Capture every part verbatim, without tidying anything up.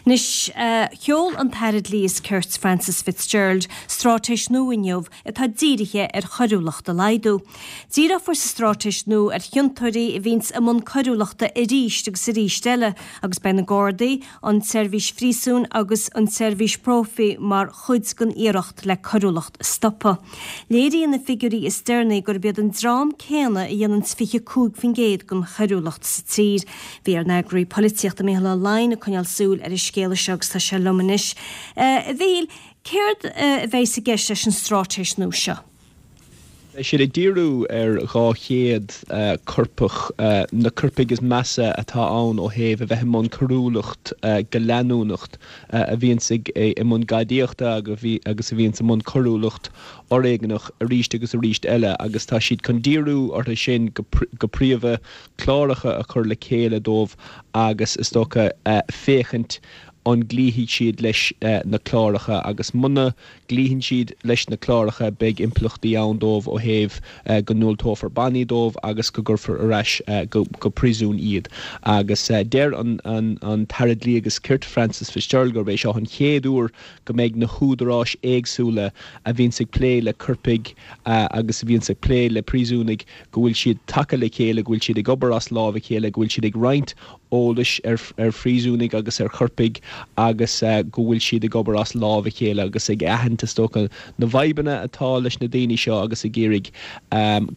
Anois sheol an tAire Dlí is Cirt Frances Fitzgerald straitéis nua inniu atá dírithe ar choiriúlacht a laghdú. Díreofar sa straitéis nua ar chiontóirí a bhíonns i mbun coiriúlachta arís agus arís eile agus beidh na Gardaí, an tseirbhís phríosúin agus an tseirbhís phróifí mar chuid den iarracht le coiriúlacht a stopadh. Léiríonn na figiúirí is deireanaí gurb iad an dream céanna a dhéanann fiche cúig faoin gcéad den choiriúlacht sa tír. Bhí ár n-eagraí polaitíochta Mícheál Ó Laighin ag coinneáil súil ar an scéal seo agus tá sé liom anois. A Mhíchíl, céard a bheidh i gceist leis an straitéis nua seo? Beidh siad ag díriú ar dhá chéad coirpeach, na coirpigh is measa atá ann ó thaobh a bheith i mbun coiriúlacht go leanúnach, a bhíonns ag i mbun gadaíochta agus a bhíonns i mbun coiriúlacht fhoréigneach arís agus arís eile agus tá siad chun díriú orthu sin go príomha, cláracha a chur le chéile dóibh agus is dócha féachaint an gcloífidh siad leis na cláracha agus muna gcloíonn siad leis na cláracha beidh impleachtaí ann dóibh ó thaobh go ndiúltófar bannaí dóibh agus go gcuirfear ar ais go príosún iad. Agus deir an an tAire Dlí agus Cirt Frances Fitzgerald gurb é seo an chéad uair go mbeidh na húdaráis éagsúla a bhíonns ag plé le coirpigh agus a bhíonns ag plé le príosúnaigh go bhfuil siad tagtha le chéile, go bhfuil siad ag obair as lámh a chéile, go bhfuil siad ag roinnt eolais ar ar phríosúnaigh agus ar choirpigh agus go bhfuil siad ag obair as lámh a chéile agus ag aithint, is dócha, na bhfadhbanna atá leis na daoine seo agus ag iarraidh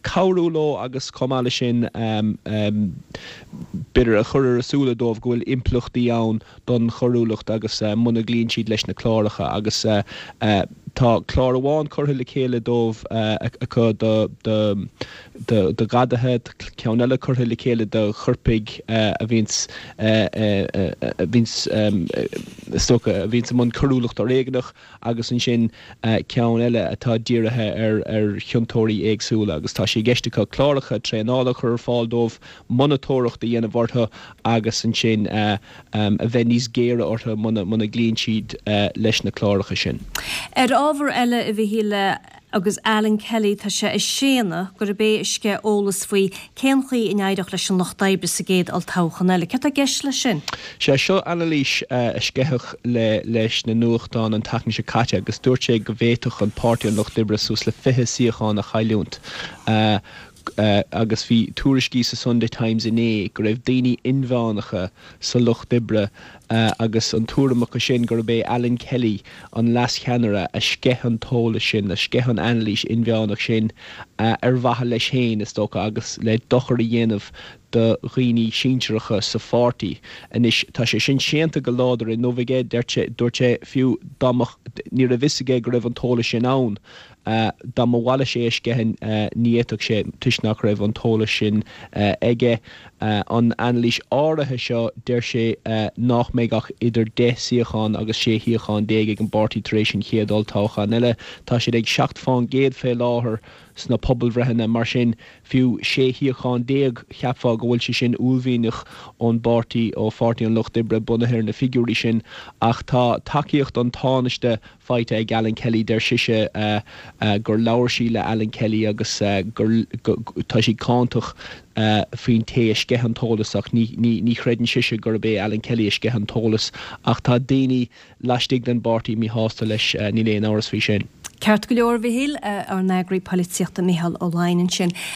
cabhrú leo agus chomh maith leis sin b'fhéidir a chur ar a súile dóibh go bhfuil impleachtaí ann don choiriúlacht agus muna gcloíonn siad leis na cláracha agus tá clár amháin curtha le chéile dóibh acu do do ghadaithe, ceann eile curtha le chéile do choirpigh a bhíonns a bhíonns is dócha a bhíonns i mbun coiriúlacht fhoréigneach agus ansin ceann eile atá dírithe ar ar chiontóirí éagsúla agus tá sé i gceist acu cláracha traenála a chur ar fáil dóibh, monatóireacht a dhéanamh orthu agus ansin a bheith níos géire orthu muna muna gcloíonn siad leis na cláracha sin. Ar ábhar eile, a Mhíchíl, agus Alan Kelly, tá sé ag séanadh gurb é a sceith eolas faoi cén chaoi a n-éireodh leis an Lucht Oibre sa gcéad olltoghchán eile. Céard tá i gceist leis sin? Sea, seo anailís a sceitheadh le leis na nuachtáin an tseachtain seo caite agus dúirt sé go bhféadfadh an Páirtí an Lucht Oibre suas le fiche suíochán a chailliúint. Agus bhí tuairiscí sa Sunday Times inné go raibh daoine inmheánacha sa Lucht Oibre agus an tuairim acu sin gurb é Alan Kelly, an leascheannaire, a sceith an t-eolas sin, a sceith an anailís inmheánach sin ar mhaithe leis féin, is dócha, agus le dochar a dhéanamh do dhaoine sinsearacha sa pháirtí. Anois, tá sé sin séanta go láidir inniu aige, dúirt sé, fiú dá mbeadh, ní raibh fhios aige go raibh an t-eolas sin ann. Dá mba mhaith leis é a sceitheadh, ní fhéadfadh sé, toisc nach raibh an t-eolas sin aige. An anailís áirithe seo, deir sé nach mbeidh ach idir deich suíochán agus sé shuíochán déag ag an bpáirtí tar éis an chéad olltoghchán eile. Tá siad ag seacht fán gcéad fé láthair sna pobalbhreitheanna, mar sin fiú sé shuíochán déag, cheapfá go bhfuil sé sin uaillmhianach ón bpáirtí, ó Pháirtí an Lucht Oibre, bunaithe ar na figiúirí sin. Ach tá tacaíocht an Tánaiste faighte ag Alan Kelly. Deir sise gur labhair sí le Alan Kelly agus gur tá sí cáinteach faoin té a sceith an t-eolas ach ní ní chreideann sise gurb é Alan Kelly a sceith an t-eolas ach tá daoine laistigh den bpáirtí míshásta leis, níl aon amhras faoi sin. Ceart go leor, a Mhichíl, ár n-eagraí polaitíochta Micheál Ó Laighin ansin.